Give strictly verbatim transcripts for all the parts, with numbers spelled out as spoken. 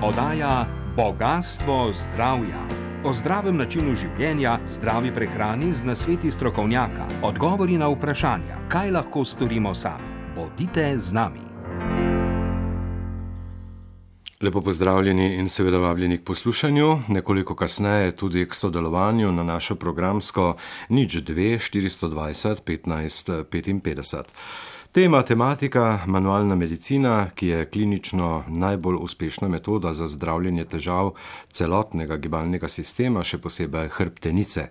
Oddaja Bogastvo zdravja. O zdravem načinu življenja, zdravi prehrani z nasveti strokovnjaka, odgovori na vprašanja, kaj lahko storimo sami. Bodite z nami. Lepo pozdravljeni in seveda vabljeni k poslušanju, nekoliko kasneje tudi k sodelovanju na našo programsko nič dve štiristo dvajset petnajst petinpetdeset. Tema tematika manualna medicina, ki je klinično najbolj uspešna metoda za zdravljenje težav celotnega gibalnega sistema, še posebej hrbtenice.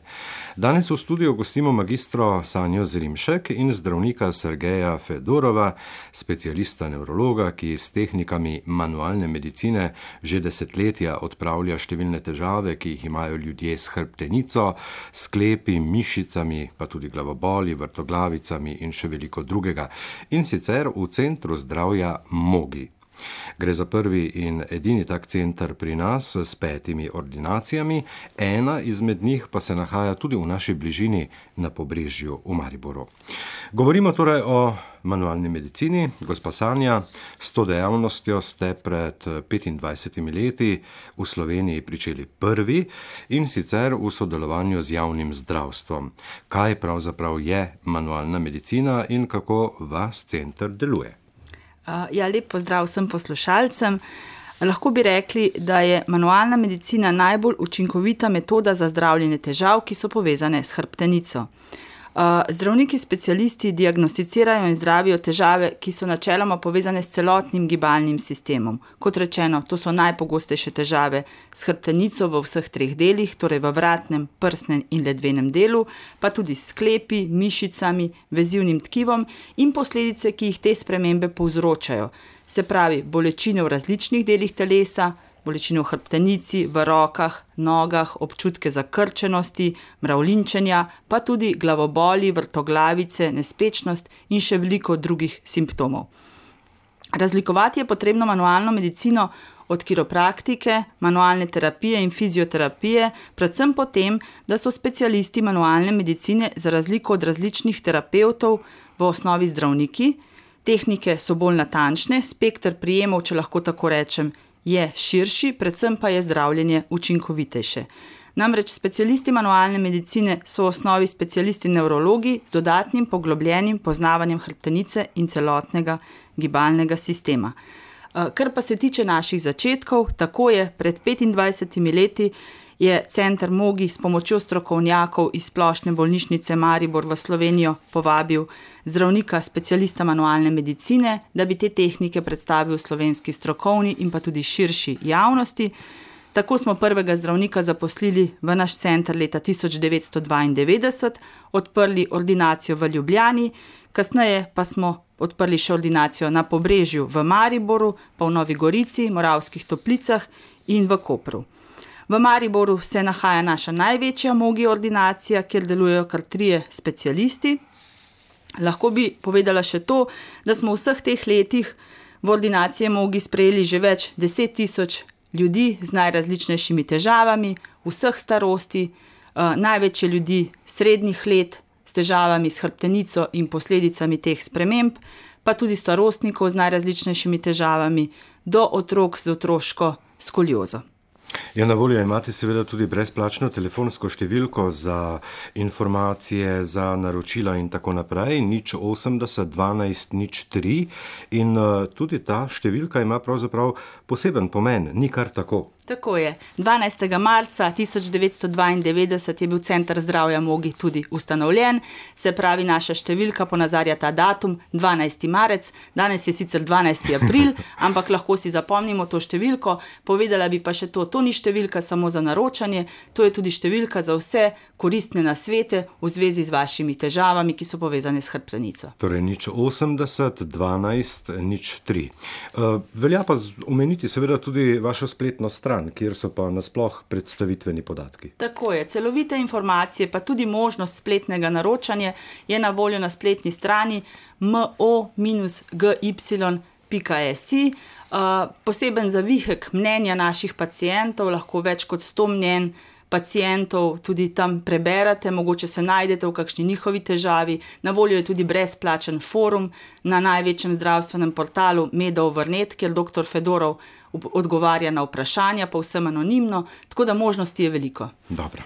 Danes v studiu gostimo magistro Sanjo Zrimšek in zdravnika Sergeja Fedorova, specialista nevrologa, ki s tehnikami manualne medicine že desetletja odpravlja številne težave, ki jih imajo ljudje s hrbtenico, sklepi, mišicami, pa tudi glavoboli, vrtoglavicami in še veliko drugega. In sicer v centru zdravja Mogi. Gre za prvi in edini tak center pri nas s petimi ordinacijami, ena izmed njih pa se nahaja tudi v naši bližini na Pobrežju v Mariboru. Govorimo torej o manualni medicini. Gospa Sanja, s to dejavnostjo ste pred petindvajsetimi leti v Sloveniji pričeli prvi in sicer v sodelovanju z javnim zdravstvom. Kaj pravzaprav je manualna medicina in kako vaš center deluje? Ja, lep pozdrav vsem poslušalcem. Lahko bi rekli, da je manualna medicina najbolj učinkovita metoda za zdravljenje težav, ki so povezane s hrbtenico. Zdravniki specialisti diagnosticirajo in zdravijo težave, ki so načeloma povezane s celotnim gibalnim sistemom. Kot rečeno, to so najpogostejše težave s hrbtenico v vseh treh delih, torej v vratnem, prsnem in ledvenem delu, pa tudi s sklepi, mišicami, vezivnim tkivom in posledice, ki jih te spremembe povzročajo. Se pravi, bolečine v različnih delih telesa, bolečine v hrbtenici, v rokah, nogah, občutke zakrčenosti, mravljinčenja, pa tudi glavoboli, vrtoglavice, nespečnost in še veliko drugih simptomov. Razlikovati je potrebno manualno medicino od kiropraktike, manualne terapije in fizioterapije, predvsem po tem, da so specialisti manualne medicine za razliko od različnih terapevtov v osnovi zdravniki. Tehnike so bolj natančne, spekter prijemov, če lahko tako rečem, je širši, predvsem pa je zdravljenje učinkovitejše. Namreč specialisti manualne medicine so v osnovi specialisti nevrologi z dodatnim poglobljenim poznavanjem hrbtenice in celotnega gibalnega sistema. Kar pa se tiče naših začetkov, tako je pred petindvajsetimi leti je center Mogi s pomočjo strokovnjakov iz Splošne bolnišnice Maribor v Slovenijo povabil zdravnika specialista manualne medicine, da bi te tehnike predstavil slovenski strokovni in pa tudi širši javnosti. Tako smo prvega zdravnika zaposlili v naš center leta tisoč devetsto dvaindevetdeset, odprli ordinacijo v Ljubljani, kasneje pa smo odprli še ordinacijo na Pobrežju v Mariboru, pa v Novi Gorici, Moravskih Toplicah in v Kopru. V Mariboru se nahaja naša največja Mogi ordinacija, kjer delujejo kar trije specialisti. Lahko bi povedala še to, da smo v vseh teh letih v ordinaciji Mogi sprejeli že več deset tisoč ljudi z najrazličnejšimi težavami, vseh starosti, največ je ljudi srednjih let s težavami s hrbtenico in posledicami teh sprememb, pa tudi starostnikov z najrazličnejšimi težavami do otrok z otroško skoliozo. Ja, na voljo imate seveda tudi brezplačno telefonsko številko za informacije, za naročila in tako naprej, nič osemdeset dvanajst nič tri, in tudi ta številka ima pravzaprav poseben pomen, ni kar tako. Tako je. dvanajstega marca tisoč devetsto dvaindevetdeset je bil center zdravja Mogi tudi ustanovljen, se pravi, naša številka ponazarja ta datum, dvanajsti marec, danes je sicer dvanajsti april, ampak lahko si zapomnimo to številko. Povedala bi pa še to, to ni številka samo za naročanje, to je tudi številka za vse koristne nasvete v zvezi z vašimi težavami, ki so povezane s hrbtenico. Torej nič osemdeset dvanajst nič tri. Velja pa omeniti seveda tudi vašo spletno stran, kjer so pa nasploh predstavitveni podatki. Tako je, celovite informacije, pa tudi možnost spletnega naročanja je na voljo na spletni strani mo g y pika si. Poseben zavihek mnenja naših pacientov, lahko več kot sto mnenj pacientov tudi tam preberate, mogoče se najdete v kakšni njihovi težavi. Na voljo je tudi brezplačen forum na največjem zdravstvenem portalu Medov Vrnet, kjer doktor Fedorov odgovarja na vprašanja, povsem anonimno, tako da možnosti je veliko. Dobro.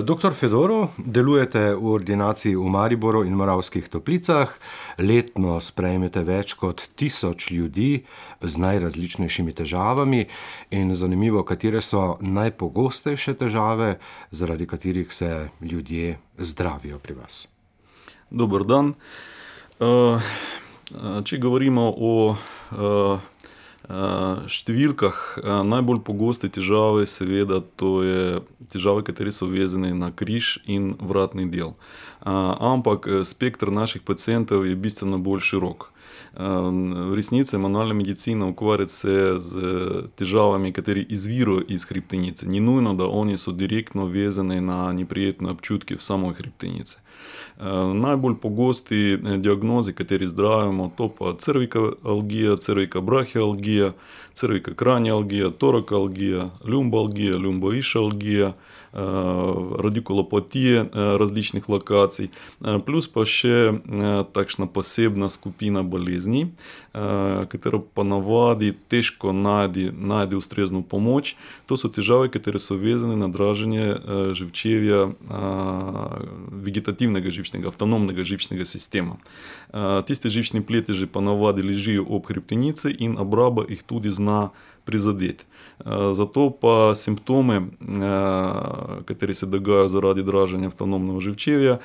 Doktor Fedorov, delujete v ordinaciji v Mariboru in Moravskih Toplicah, letno sprejmete več kot tisoč ljudi z najrazličnejšimi težavami in zanimivo, katere so najpogostejše težave, zaradi katerih se ljudje zdravijo pri vas. Dober dan. Če govorimo o številkah, najbolj pogoste težave, seveda, to je težave, kateri so vezane na križ in vratni del. Ampak spektr naših pacientov je bistveno bolj širok. V resnici manualna medicina ukvarja se z težavami, kateri izvirajo iz hrbtenice. Ni nujno, da oni so direktno vezani na neprijetne občutke v samoj hrbtenici. Najbolj pogosti diagnozi, kateri zdravimo, to pa cervikalgija, cervikabrachialgija, cervikakranjalgija, torakalgija, lumbalgija, lumboišalgija, radikulopatije različnih lokacij, plus pa še takšna posebna skupina bolezni, katera pa navadi težko najde, najde ustrezno pomoč. To so težave, katere so vezane na draženje živčevja, vegetativnega živčnega, avtonomnega živčnega sistema. Tiste živčne pleteže pa navadi ležijo ob hrbtenici in obraba jih tudi zna prizadeti. Zato pa simptome, kateri se dogajajo zaradi draženja avtonomnega živčevja,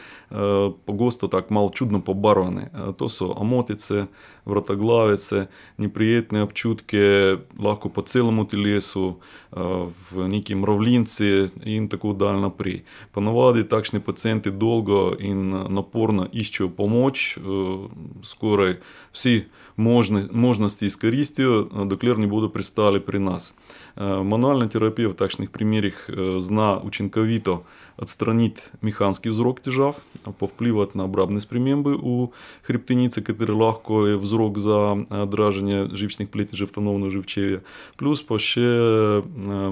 pogosto tako malo čudno pobarvane. To so omotice, vrtoglavice, neprijetne občutke, lahko po celemu telesu, v neki mravljinci in tako dalje naprej. Ponavadi takšni pacienti dolgo in naporno iščejo pomoč, skoraj vsi možne, možnosti izkoristijo, dokler ne bodo pristali pri nas. Manualna terapija v takšnih primerih zna učinkovito odstraniti mehanski vzrok težav, povplivati na obrambne spremembe v hrbtenici, kateri lahko je vzrok za draženje živčnih pletežev avtonomnega živčevja, plus pa še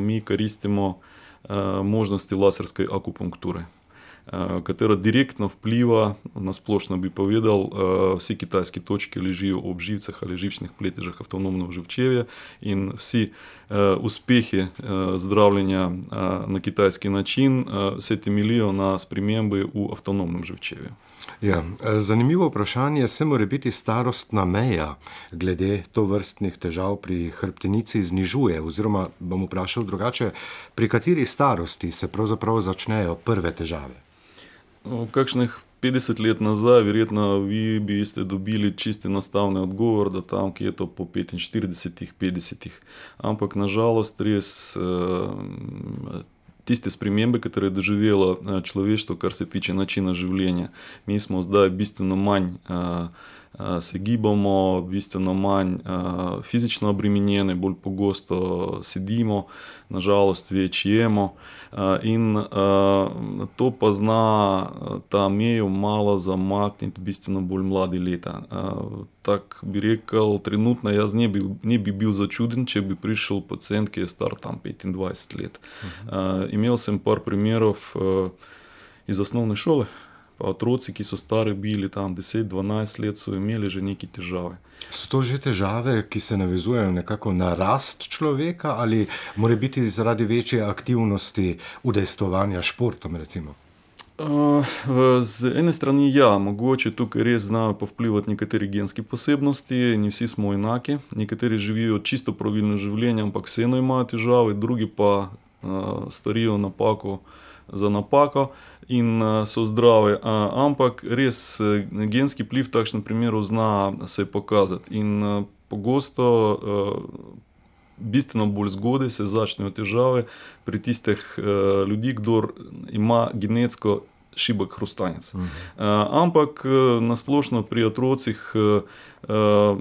mi koristimo možnosti laserske akupunkture, katera direktno vpliva, na splošno bi povedal, vsi kitajski točki ležijo ob živcah ali živčnih pletežah avtonomnega živčevja in vsi uspehi zdravljenja na kitajski način se temeljijo na spremembi v avtonomnem živčevju. Ja, zanimivo vprašanje, se mora biti starostna meja glede tovrstnih težav pri hrbtenici znižuje, oziroma bom vprašal drugače, pri kateri starosti se pravzaprav začnejo prve težave? Kakšnih petdeset let nazaj, verjetno vi bi ste dobili čisto enostavni odgovor, da tam, ki je to po petinštiridesetih, petdesetih. Ampak nažalost res tiste spremembe, katere je doživelo človeštvo, kar se tiče načina življenja. Mi smo zdaj bistveno manj se gibamo, bistveno manj fizično obremenjeni, bolj pogosto sedimo, nažalost več jemo in to pa zna ta mejo malo zamakniti bistveno bolj mladi leta. Tak bi rekel, trenutno jaz ne bi, ne bi bil začuden, če bi prišel pacient, ki je star tam petindvajset let. Uh-huh. Imel sem par primerov iz osnovne šole, pa otroci, ki so stari bili tam deset dvanajst let, so imeli že neke težave. So to že težave, ki se navezujejo nekako na rast človeka ali mora biti zaradi večje aktivnosti udejstvovanja športom, recimo? Uh, z ene strani ja, mogoče tukaj res znajo povplivati nekateri genski posebnosti, ni vsi smo enaki, nekateri živijo čisto pravilno življenje, ampak vseeno imajo težave, drugi pa uh, storijo napako za napako in uh, so zdravi, uh, ampak res uh, genski vpliv v takšnem primeru zna se pokazati in uh, pogosto uh, bistveno bolj zgodaj se začnejo težave pri tistih uh, ljudi, kdor ima genetsko šibek hrustanec. Uh-huh. Uh, ampak uh, nasplošno pri otrocih uh, uh,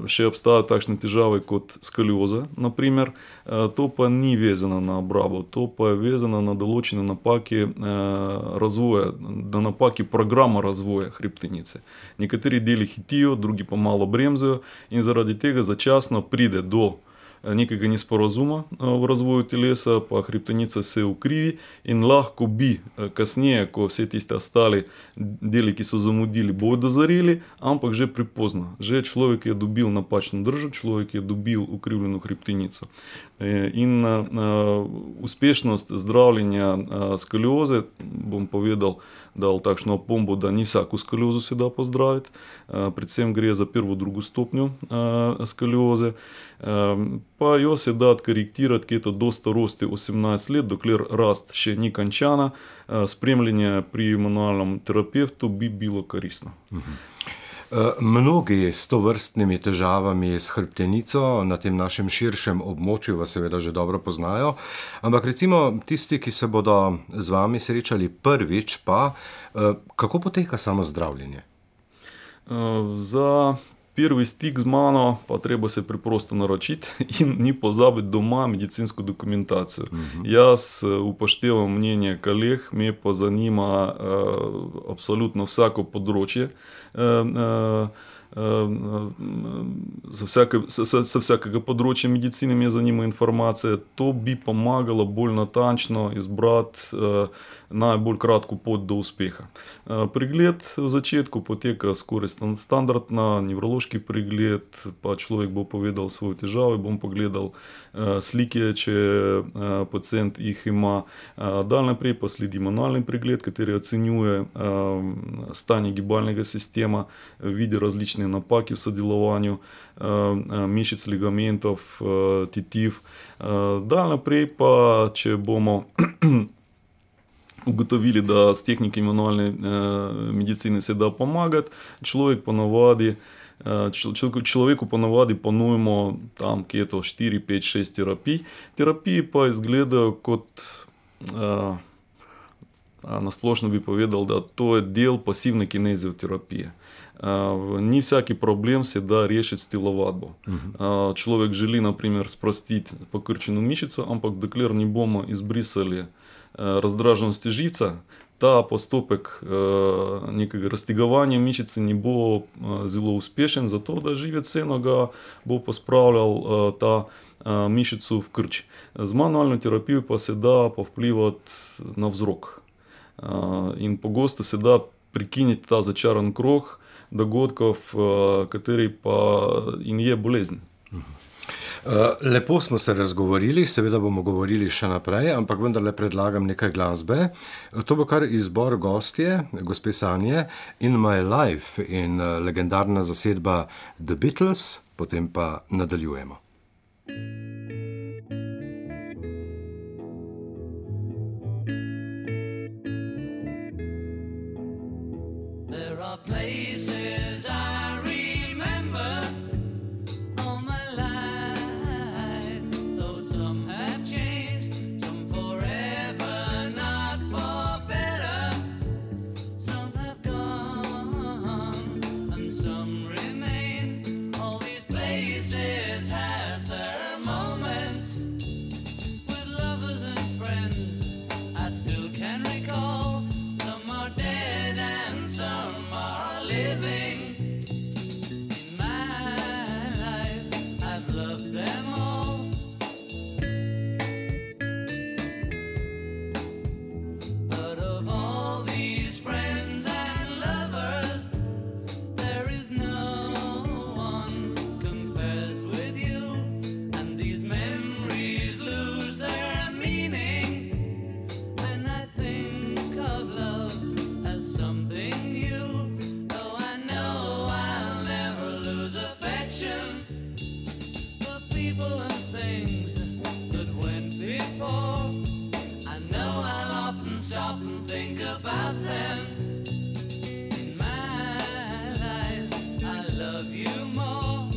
še obstajajo takšne težave kot skolioza, naprimer. Uh, to pa ni vezano na obrabo, to pa je vezano na določene napake uh, razvoja, na napake programa razvoja hrbtenice. Nekateri deli hitijo, drugi pa malo bremzajo in zaradi tega začasno pride do nekega nesporazuma v razvoju telesa, pa hrbtenica se ukrivi in lahko bi kasneje, ko vse tiste ostali deli, ki so zamudili, bodo dozoreli, ampak že prepozno. Že človek je dobil napačno držo, človek je dobil ukrivljeno hrbtenico. In uspešnost zdravljenja skolioze, bom povedal, dal takšno opombo, da ni vsako skoliozo se da pozdraviti, predvsem gre za prvo, drugo stopnjo skolioze, pa jo se da korektirati, ki je to do starosti osemnajst let, dokler rast še ni končana, spremljanje pri manualnem terapevtu bi bilo koristno. Mnogi s tovrstnimi težavami s hrbtenico na tem našem širšem območju vas seveda že dobro poznajo, ampak recimo tisti, ki se bodo z vami srečali prvič, pa kako poteka samo zdravljenje? Za prvi stik z mano pa treba se preprosto naročiti in ni pozabiti doma medicinsko dokumentacijo. Uh-huh. Jaz upoštevam mnenje koleg, me pa zanima uh, absolutno vsako področje, uh, uh, Za, vsake, za, za vsakega področja medicine me zanima informacija. To bi pomagalo bolj natančno izbrati uh, najbolj kratko pot do uspeha. Uh, pregled v začetku poteka skoraj standardna, nevrološki pregled, pa človek bo povedal svoje težave, bom pogledal uh, slike, če uh, pacient jih ima. Uh, dal naprej pa sledi manualni pregled, kateri ocenjuje uh, stanje gibalnega sistema, vidi različne napake v sodelovanju uh, mišic, ligamentov, uh, tetiv. Uh, dal naprej pa, če bomo ugotovili, da s tehniki manualne uh, medicine se da pomagati, človek ponavadi, uh, človeku ponavadi ponujemo tam, ki je to štiri, pet, šest terapij. Terapiji pa izgledajo kot uh, na splošno bi povedal, da to je del pasivne kinezioterapije. Uh, ni vsaki problem se da rešiti s telovadbo. Uh, človek želi, na primer, sprostiti pokrčeno mišico, ampak dokler ne bomo izbrisali uh, razdraženosti živca, ta postopek uh, nekega raztegovanja mišice ne bo uh, zelo uspešen, zato da živec vseeno ga bo pospravljal uh, ta uh, mišico v krč. Z manualno terapijo pa se da povplivati na vzrok. Uh, in pogosto se da prekiniti ta začaran krog dogodkov, kateri pa in je bolezen. Lepo smo se razgovorili, seveda bomo govorili še naprej, ampak vendarle predlagam nekaj glasbe. To bo kar izbor gostje, gospe Sanje, In My Life in legendarna zasedba The Beatles, potem pa nadaljujemo. There are places I remember all my life, though some have changed, some forever, not for better. Some have gone and some remain. All these places have their moments with lovers and friends I still can recall. Some are dead and some are living. In my life, I've loved them all. But of all these friends and lovers, there is no one compares with you. And these memories lose their meaning when I think of love as something new. Though I know I'll never lose affection for people and things that went before. I know I'll often stop and think about them. In my life, I love you more.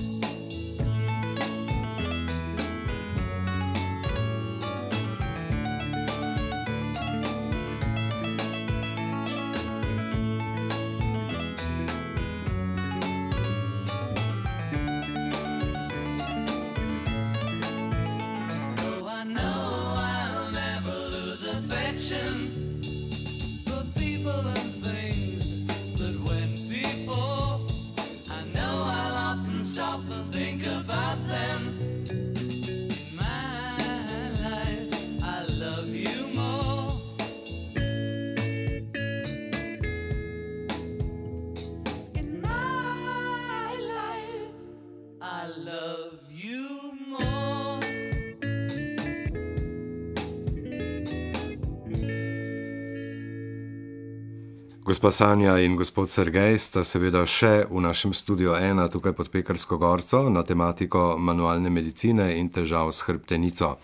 Though I know I'll never lose affection for people and things that went before. I know I'll often stop and think about them. Gospa Sanja in gospod Sergej sta seveda še v našem studiu ena tukaj pod Pekarsko gorco na tematiko manualne medicine in težav s hrbtenico.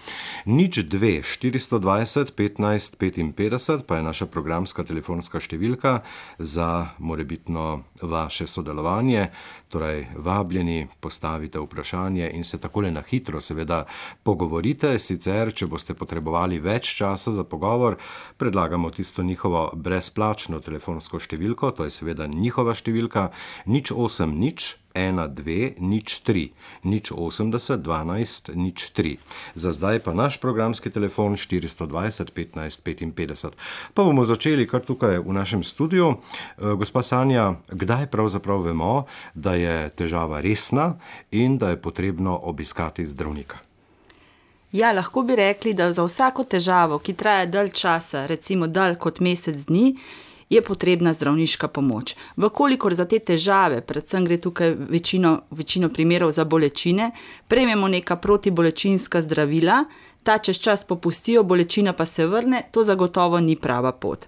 Nič dve štiristo dvajset petnajst petinpetdeset pa je naša programska telefonska številka za morebitno vaše sodelovanje. Torej, vabljeni, postavite vprašanje in se takole na hitro seveda pogovorite. Sicer, če boste potrebovali več časa za pogovor, predlagamo tisto njihovo brezplačno telefonsko številko, to je seveda njihova številka, nič osem nič ena dve nič tri, nič osemdeset dvanajst nič tri. Za zdaj pa naš programski telefon štiristo dvajset petnajst petinpetdeset. Pa bomo začeli kar tukaj v našem studiu. Gospa Sanja, kdaj pravzaprav vemo, da je težava resna in da je potrebno obiskati zdravnika? Ja, lahko bi rekli, da za vsako težavo, ki traja dalj časa, recimo dalj kot mesec dni, je potrebna zdravniška pomoč. Vkolikor za te težave, predvsem gre tukaj večino, večino primerov za bolečine, prejmemo neka protibolečinska zdravila, ta čez čas popustijo, bolečina pa se vrne, to zagotovo ni prava pot.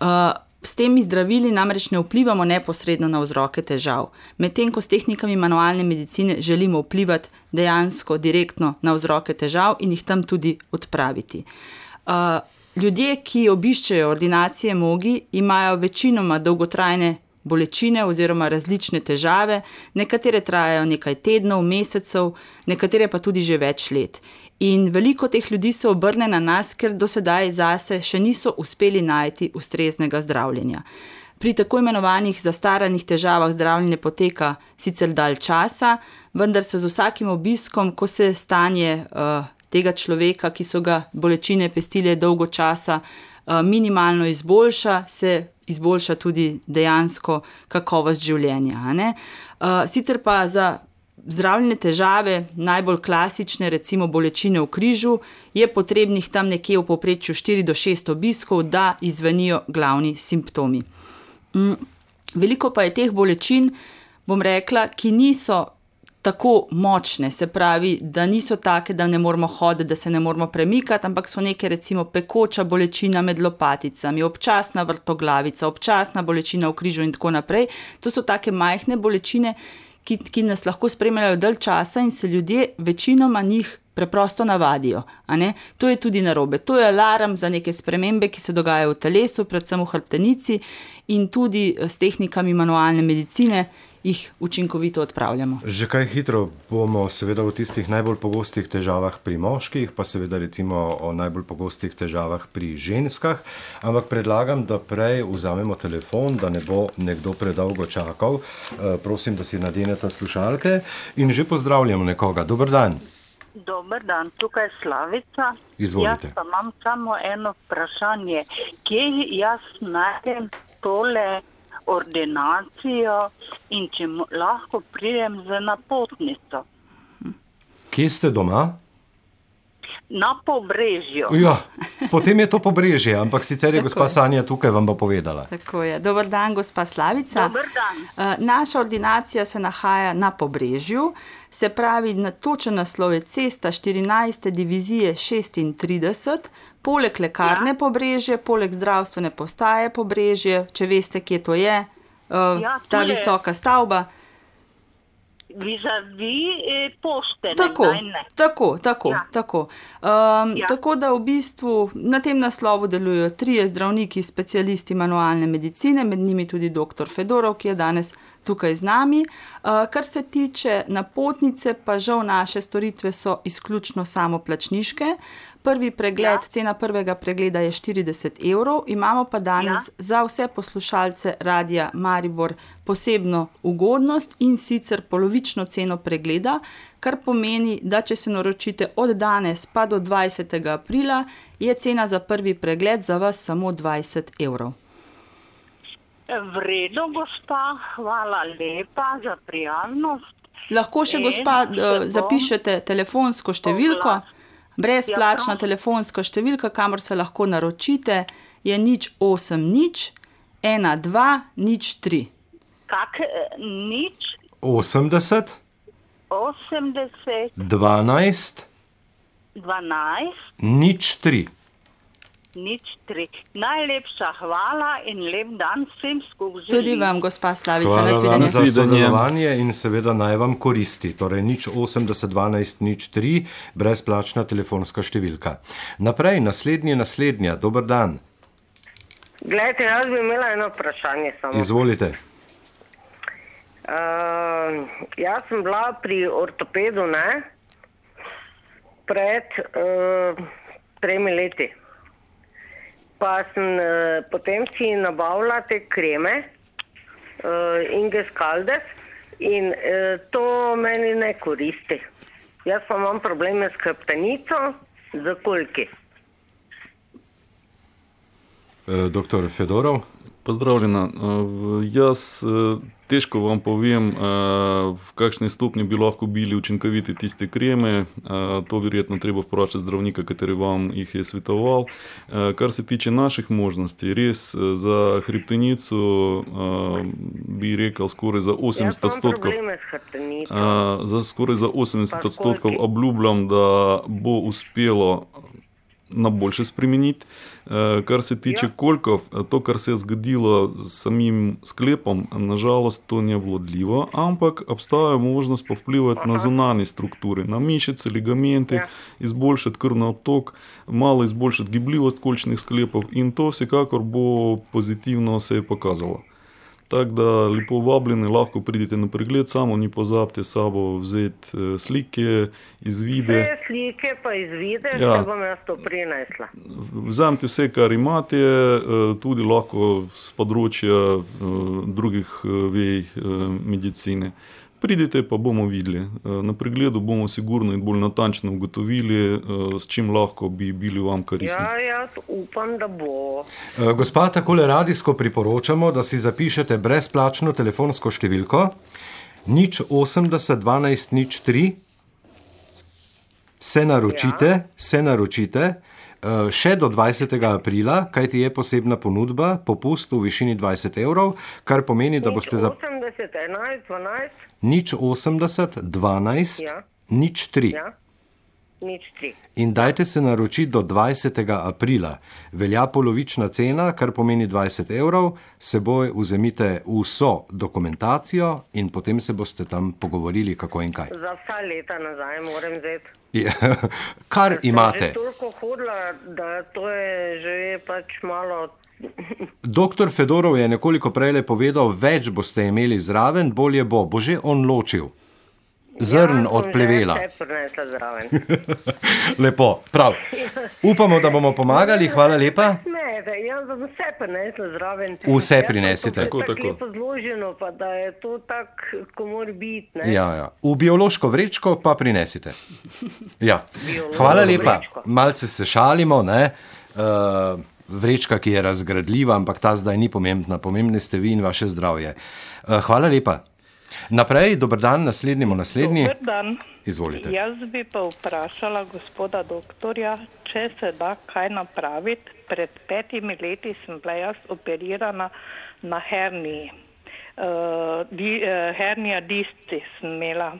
Uh, s temi zdravili namreč ne vplivamo neposredno na vzroke težav, medtem ko s tehnikami manualne medicine želimo vplivati dejansko direktno na vzroke težav in jih tam tudi odpraviti. Uh, Ljudje, ki obiščejo ordinacije Mogi, imajo večinoma dolgotrajne bolečine oziroma različne težave, nekatere trajajo nekaj tednov, mesecev, nekatere pa tudi že več let. In veliko teh ljudi se obrne na nas, ker do sedaj zase še niso uspeli najti ustreznega zdravljenja. Pri tako imenovanih zastaranih težavah zdravljenje poteka sicer dalj časa, vendar se z vsakim obiskom, ko se stanje uh, tega človeka, ki so ga bolečine pestile dolgo časa, minimalno izboljša, se izboljša tudi dejansko kakovost življenja. A ne? Sicer pa za zdravljenje težave, najbolj klasične, recimo bolečine v križu, je potrebnih tam nekje v povprečju štiri do šest obiskov, da izvenijo glavni simptomi. Veliko pa je teh bolečin, bom rekla, ki niso tako močne, se pravi, da niso take, da ne moramo hoditi, da se ne moramo premikati, ampak so neke recimo pekoča bolečina med lopaticami, občasna vrtoglavica, občasna bolečina v križu in tako naprej. To so take majhne bolečine, ki, ki nas lahko spremljajo dalj časa in se ljudje večinoma njih preprosto navadijo. A ne? To je tudi narobe. To je alarm za neke spremembe, ki se dogajajo v telesu, predvsem v hrbtenici in tudi s tehnikami manualne medicine jih učinkovito odpravljamo. Že kaj hitro bomo seveda o tistih najbolj pogostih težavah pri moških, pa seveda recimo o najbolj pogostih težavah pri ženskah, ampak predlagam, da prej vzamemo telefon, da ne bo nekdo predolgo čakal. E, prosim, da si nadenete slušalke in že pozdravljamo nekoga. Dober dan. Dober dan, tukaj je Slavica. Izvolite. Jaz pa imam samo eno vprašanje. Kje jaz najdem tole ordinacijo in če lahko pridem z napotnico? Kje ste doma? Na Pobrežju. Ja, potem je to Pobrežje, ampak sicer je gospa Sanja tukaj, vam bo povedala. Tako je. Dober dan, gospa Slavica. Dober dan. Naša ordinacija se nahaja na Pobrežju, se pravi, na točen naslov je Cesta štirinajste divizije šestintrideset, poleg lekarne ja. Pobrežje, poleg zdravstvene postaje Pobrežje, če veste, kje to je, uh, ja, ta je visoka stavba. Vizavi pošte. Tako, ne, tako, tako, ja. tako. Um, ja. Tako da v bistvu na tem naslovu delujejo trije zdravniki, specialisti manualne medicine, med njimi tudi doktor Fedorov, ki je danes tukaj z nami. Uh, kar se tiče napotnice, pa žal naše storitve so izključno samoplačniške. Prvi pregled, ja. Cena prvega pregleda je štirideset evrov, imamo pa danes ja. Za vse poslušalce Radia Maribor posebno ugodnost in sicer polovično ceno pregleda, kar pomeni, da če se naročite od danes pa do dvajsetega aprila, je cena za prvi pregled za vas samo dvajset evrov. V redu, gospa, hvala lepa za prijaznost. Lahko še, gospa, zapišete telefonsko številko. Brezplačna ja, telefonska številka, kamor se lahko naročite, je nič osem nič ena dva nič tri. Kak nič? osemdeset osemdeset dvanajst dvanajst nič tri. nič tri. Najlepša hvala in lep dan vsem skupaj želim. Tudi vam, gospa Slavica, Hvala vam nasvidenje. za Nasvidenje. sodelovanje in seveda naj vam koristi. Torej nič osemdeset dvanajst nič tri, brezplačna telefonska številka. Naprej, naslednji, naslednja, dober dan. Glejte, jaz bi imela eno vprašanje samo. Izvolite. Uh, jaz sem bila pri ortopedu, ne, pred uh, tremi leti. Pa sem uh, potem si nabavila te kreme, uh, Inges Caldes, in uh, to meni ne koristi. Jaz pa imam probleme s hrbtenico, z kolki. E, doktor Fedorov. Pozdravljena. Uh, Jaz uh, težko vam povem, uh, v kakšni stopnji bi lahko bili učinkoviti tiste kreme. Uh, To verjetno treba vprašati zdravnika, kateri vam jih je svetoval. Uh, Kar se tiče naših možnosti, res uh, za hrbtenico uh, bi rekel skoraj za osemdeset Jaz imam odstotkov. probleme s hrbtenico. Uh, za skoraj za osemdeset Pa odstotkov koliko? obljubljam, da bo uspelo na boljše spremeniti. Uh, Kar se tiče Ja. kolkov, to, kar se je zgodilo s samim sklepom, nažalost to ni vodljivo, ampak obstaja možnost povplivati na zunanje strukture, na mišice, ligamente, Ja. izboljšati krvni obtok, malo izboljšati gibljivost kolčnih sklepov in to vsekakor bo pozitivno se je pokazalo. Tako da lepo vabljeni, lahko pridite na pregled, samo ni pozabite s sabo vzeti eh, slike, izvide. Vse slike pa izvide, Ja. ja. bom jaz to prinesla. Vzemite vse, kar imate, eh, tudi lahko z področja eh, drugih eh, vej eh, medicine. Pridite, pa bomo videli. Eh, Na pregledu bomo sigurno in bolj natančno ugotovili, eh, s čim lahko bi bili vam koristni. Ja, jaz upam, da bo. E, Gospa, takole radijsko priporočamo, da si zapišete brezplačno telefonsko številko nič osemdeset dvanajst nič tri, se naročite, ja. se naročite e, še do dvajsetega aprila, kajti je posebna ponudba, popust v višini dvajset evrov, kar pomeni, da boste za osemdeset, enajst, dvanajst, nič osemdeset dvanajst Ja. nič tri. ja, nič tri. In dajte se naročiti do dvajsetega aprila. Velja polovična cena, kar pomeni dvajset evrov, seboj vzemite vso dokumentacijo in potem se boste tam pogovorili, kako in kaj. Za vsa leta nazaj moram vzeti. Ja, Kar Sem imate. že toliko hodila, da to je že pač malo. Doktor Fedorov je nekoliko prej povedal, več boste imeli zraven, bolje bo. Bo že on ločil zrn Ja, od sem plevela. že vse prinesla zraven. Lepo, prav. Upamo, da bomo pomagali, hvala lepa. Ne, da jaz bom vse prinesla zraven. Vse Jaz pa prinesite. to Tako, tako tako. lepo zloženo, pa da je to tako, ko mora biti. Ne? Ja, ja. V biološko vrečko pa prinesite. Ja. Biološko Hvala lepa. vrečko. Malce se šalimo, ne? Uh, vrečka, ki je razgradljiva, ampak ta zdaj ni pomembna. Pomembni ste vi in vaše zdravje. Uh, hvala lepa. Naprej, dober dan, naslednjemu naslednji. Dober dan. Izvolite. Jaz bi pa vprašala gospoda doktorja, če se da kaj napraviti. Pred petimi leti sem bila jaz operirana na herniji. Uh, di, uh, hernija disci sem imela.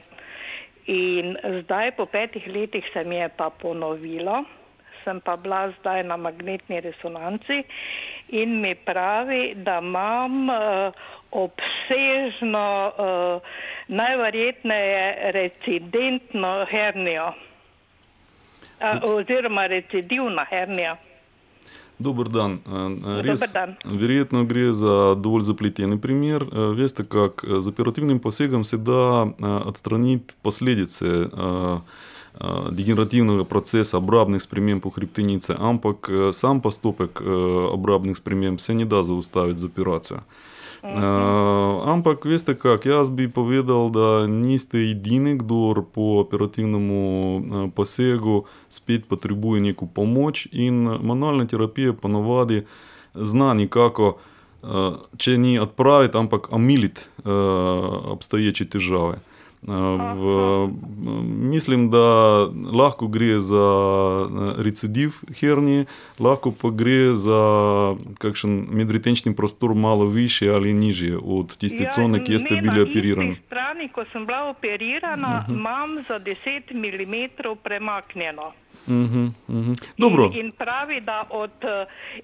In zdaj po petih letih se mi je pa ponovilo. Sem pa bila zdaj na magnetni resonanci in mi pravi, da imam uh, obsežno, uh, najverjetneje recidentno hernijo. Uh, oziroma recidivna hernija. Dober dan. Eh, Res, Dober dan. Verjetno gre za dovolj zapleteni primer. Eh, Veste, kak, eh, z operativnim posegom se da eh, odstraniti posledice eh, eh, degenerativnega procesa obrabnih sprememb v hrbtenici, ampak eh, sam postopek eh, obrabnih sprememb se ne da zaustaviti z operacijo. Uh, ampak veste kak, jaz bi povedal, da niste edini, kdo po operativnem uh, posegu spet potrebuje neko pomoč in manualna terapija ponavadi zna nekako, uh, če ni odpraviti, ampak omiliti uh, obstoječe težave. V, mislim, da lahko gre za recidiv hernije, lahko pa gre za kakšen medretenčni prostor malo više ali nižje od tiste cone, kjer ste bili operirani. Na isti strani, ko sem bila operirana, uh-huh. imam za deset milimetrov premaknjeno. Uh-huh, uh-huh. Dobro. In, in pravi, da od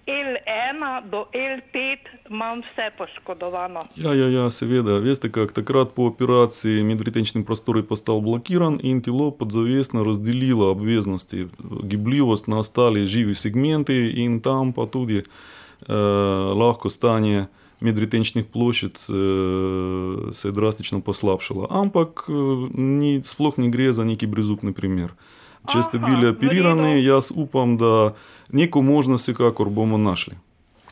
el ena do el pet imam vse poškodovano. Ja, ja, ja, seveda. Veste, kak takrat po operaciji medretenčni prostor je postal blokiran in telo podzavestno razdelilo obveznosti, gibljivost na ostale živi segmenti in tam pa tudi eh, lahko stanje medretenčnih ploščic eh, se je drastično poslabšalo. Ampak eh, ni, sploh ne gre za neki brezupni primer. Če ste bili operirani, jaz upam, da neko možnost vsekakor bomo našli.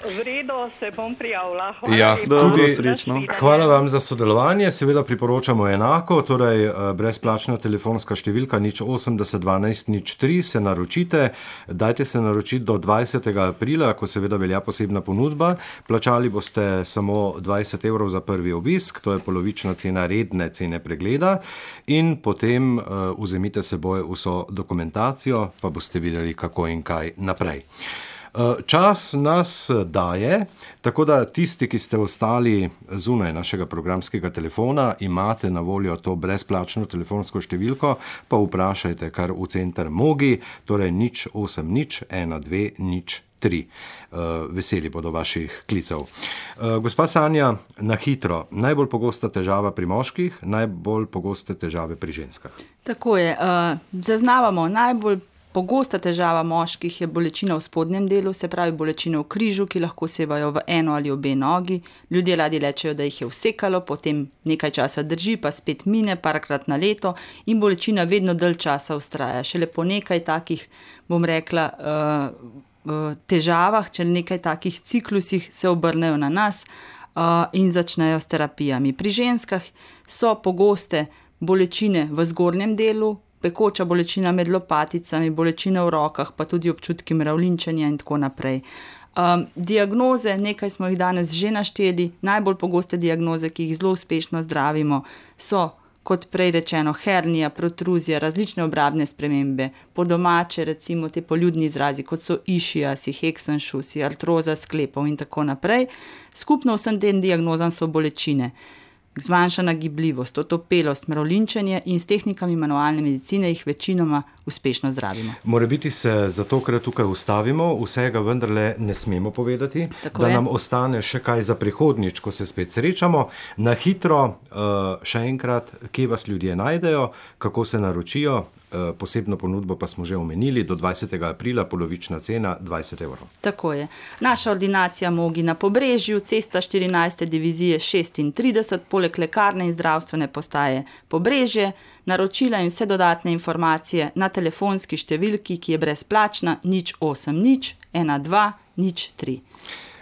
V redu, se bom prijavila. Hvala Ja, lepa. tudi srečno. Hvala vam za sodelovanje, seveda priporočamo enako, torej eh, brezplačna telefonska številka nič osemdeset dvanajst nič tri, se naročite, dajte se naročiti do dvajsetega aprila, ko seveda velja posebna ponudba, plačali boste samo dvajset evrov za prvi obisk, to je polovična cena redne cene pregleda in potem uh, vzemite seboj vso dokumentacijo, pa boste videli, kako in kaj naprej. Čas nas daje, tako da tisti, ki ste ostali zunaj našega programskega telefona, imate na voljo to brezplačno telefonsko številko, pa vprašajte kar v center Mogi, torej nič osem nič ena dve nič tri. Veseli bodo vaših klicev. Gospa Sanja, na hitro, najbolj pogosta težava pri moških, najbolj pogoste težave pri ženskah. Tako je. Zaznavamo najbolj pogosta težava moških je bolečina v spodnjem delu, se pravi bolečina v križu, ki lahko sevajo v eno ali obe nogi. Ljudje radi rečejo, da jih je vsekalo, potem nekaj časa drži, pa spet mine, parkrat na leto in bolečina vedno dalj časa vztraja. Šele po nekaj takih, bom rekla, težavah, če nekaj takih ciklusih se obrnejo na nas in začnejo s terapijami. Pri ženskah so pogoste bolečine v zgornjem delu, pekoča bolečina med lopaticami, bolečina v rokah, pa tudi občutki mravljinčenja in tako naprej. Um, diagnoze, nekaj smo jih danes že našteli, najbolj pogoste diagnoze, ki jih zelo uspešno zdravimo, so, kot prej rečeno, hernija, protruzija, različne obrabne spremembe, po domače recimo te poljudni izrazi, kot so išiasi, heksenšusi, artroza sklepov in tako naprej. Skupno vsem tem diagnozam so bolečine. Zmanjšana gibljivost, otopelost, mravljinčenje in s tehnikami manualne medicine jih večinoma uspešno zdravimo. Morebiti se zatokrat tukaj ustavimo, vsega vendarle ne smemo povedati, Tako da je. nam ostane še kaj za prihodnjič, ko se spet srečamo. Na hitro, uh, še enkrat, kje vas ljudje najdejo, kako se naročijo, uh, posebno ponudbo pa smo že omenili, do dvajsetega aprila, polovična cena dvajset evrov. Tako je. Naša ordinacija Mogi na Pobrežju, cesta štirinajste divizije šestintrideset, poleg lekarne in zdravstvene postaje Pobrežje, naročila in vse dodatne informacije na telefonski številki, ki je brezplačna, nič osem nič ena dva nič tri.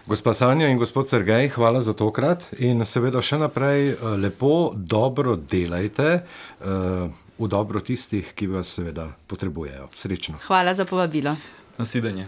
Gospa Sanja in gospod Sergej, hvala za tokrat in seveda še naprej uh, lepo, dobro delajte uh, v dobro tistih, ki vas seveda potrebujejo. Srečno. Hvala za povabilo. Nasvidenje.